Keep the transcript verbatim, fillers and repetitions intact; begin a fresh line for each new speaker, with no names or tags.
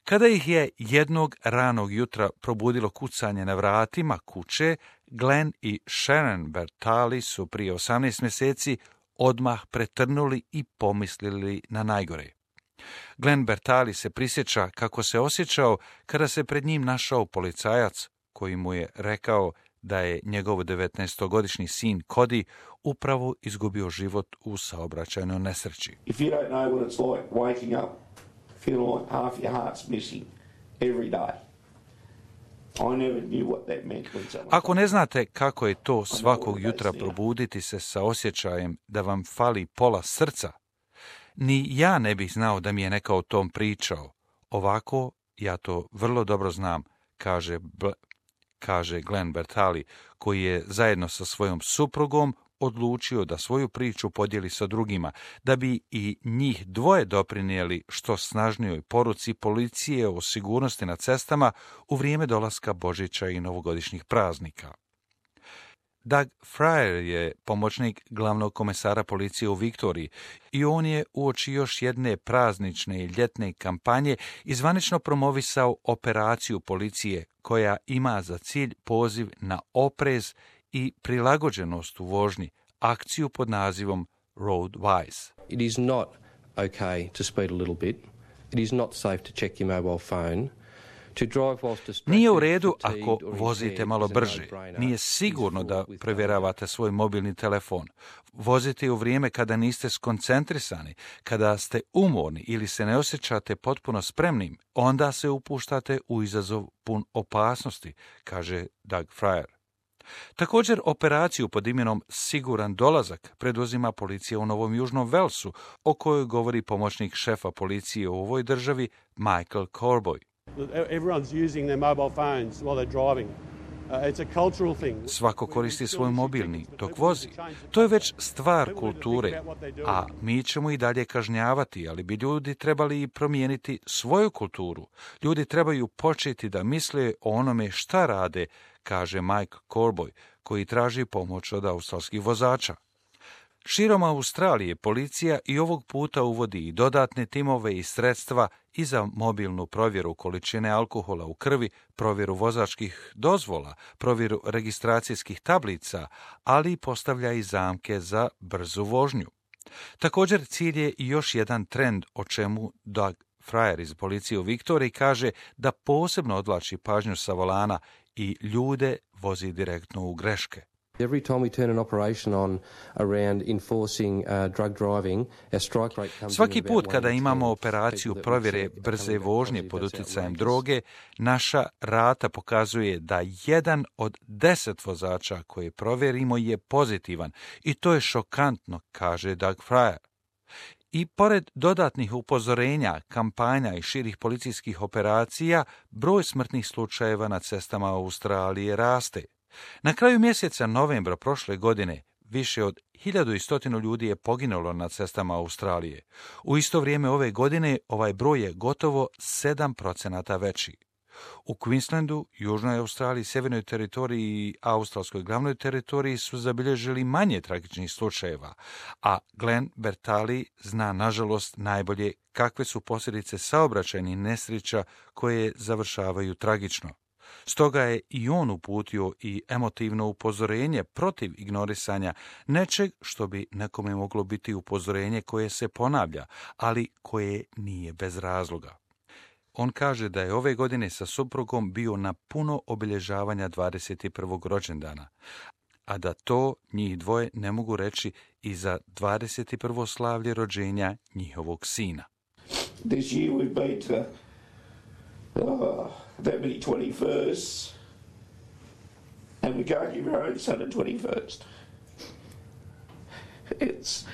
Kada ih je jednog ranog jutra probudilo kucanje na vratima kuće, Glenn i Sharon Bertali su prije osamnaest mjeseci odmah pretrnuli i pomislili na najgore. Glenn Bertali se prisjeća kako se osjećao kada se pred njim našao policajac koji mu je rekao da je njegov devetnaestogodišnji sin Cody upravo izgubio život u saobraćajnoj nesreći.
If you don't know what it's like waking up, feeling like half your heart's missing every day. I never knew what that meant when someone...
Ako ne znate kako je to svakog jutra probuditi se sa osjećajem da vam fali pola srca, ni ja ne bih znao da mi je neka o tom pričao. Ovako, ja to vrlo dobro znam, kaže, Bl- kaže Glenn Bertali, koji je zajedno sa svojom suprugom odlučio da svoju priču podijeli sa drugima, da bi i njih dvoje doprinijeli što snažnijoj poruci policije o sigurnosti na cestama u vrijeme dolaska Božića i novogodišnjih praznika. Doug Fryer je pomoćnik glavnog komesara policije u Viktoriji i on je uoči još jedne praznične i ljetne kampanje izvanično promovisao operaciju policije koja ima za cilj poziv na oprez i prilagođenost u vožnji, akciju pod nazivom Road Wise.
It is not okay to speed a little bit. It is not safe to check your mobile phone.
Nije u redu ako vozite malo brže. Nije sigurno da provjeravate svoj mobilni telefon. Vozite u vrijeme kada niste skoncentrisani, kada ste umorni ili se ne osjećate potpuno spremnim, onda se upuštate u izazov pun opasnosti, kaže Doug Fryer. Također operaciju pod imenom Siguran dolazak preduzima policija u Novom Južnom Velsu, o kojoj govori pomoćnik šefa policije u ovoj državi Michael Corboy.
Everyone's using their mobile phones while they're driving. Uh, it's a cultural thing.
Svako koristi svoj mobilni dok vozi. To je već stvar kulture, a mi ćemo i dalje kažnjavati, ali bi ljudi trebali i promijeniti svoju kulturu. Ljudi trebaju početi da misle o onome šta rade, kaže Mike Corboy, koji traži pomoć od australskih vozača. Širom Australije policija i ovog puta uvodi i dodatne timove i sredstva i za mobilnu provjeru količine alkohola u krvi, provjeru vozačkih dozvola, provjeru registracijskih tablica, ali i postavlja i zamke za brzu vožnju. Također cilj je i još jedan trend o čemu Doug Fryer iz policije u Viktoriji kaže da posebno odvlači pažnju sa volana i ljude vozi direktno u greške.
Every time we turn an operation on around enforcing uh, drug driving, our strike rate comes
Svaki
in
put
about
kada
one in
imamo
ten
operaciju
people that we
provjere
see
brze
coming back
vožnje
positive.
pod
That's
utjecajem
outrageous.
droge, naša rata pokazuje da jedan od deset vozača koje provjerimo je pozitivan i to je šokantno, kaže Doug Fryer. I pored dodatnih upozorenja, kampanja i širih policijskih operacija, broj smrtnih slučajeva na cestama Australije raste. Na kraju mjeseca novembra prošle godine više od hiljadu sto ljudi je poginulo na cestama Australije. U isto vrijeme ove godine ovaj broj je gotovo sedam procenata veći. U Queenslandu, Južnoj Australiji, Sjevernoj teritoriji i Australskoj glavnoj teritoriji su zabilježili manje tragičnih slučajeva, a Glenn Bertali zna nažalost najbolje kakve su posljedice saobraćajnih nesreća koje završavaju tragično. Stoga je i on uputio i emotivno upozorenje protiv ignorisanja nečeg što bi nekome moglo biti upozorenje koje se ponavlja, ali koje nije bez razloga. On kaže da je ove godine sa suprugom bio na puno obilježavanja dvadeset prvog rođendana, a da to njih dvoje ne mogu reći i za dvadeset prvo slavlje rođenja njihovog sina.
This year we've been to oh, that many twenty-firsts, and we can't give our own son a twenty-first. It's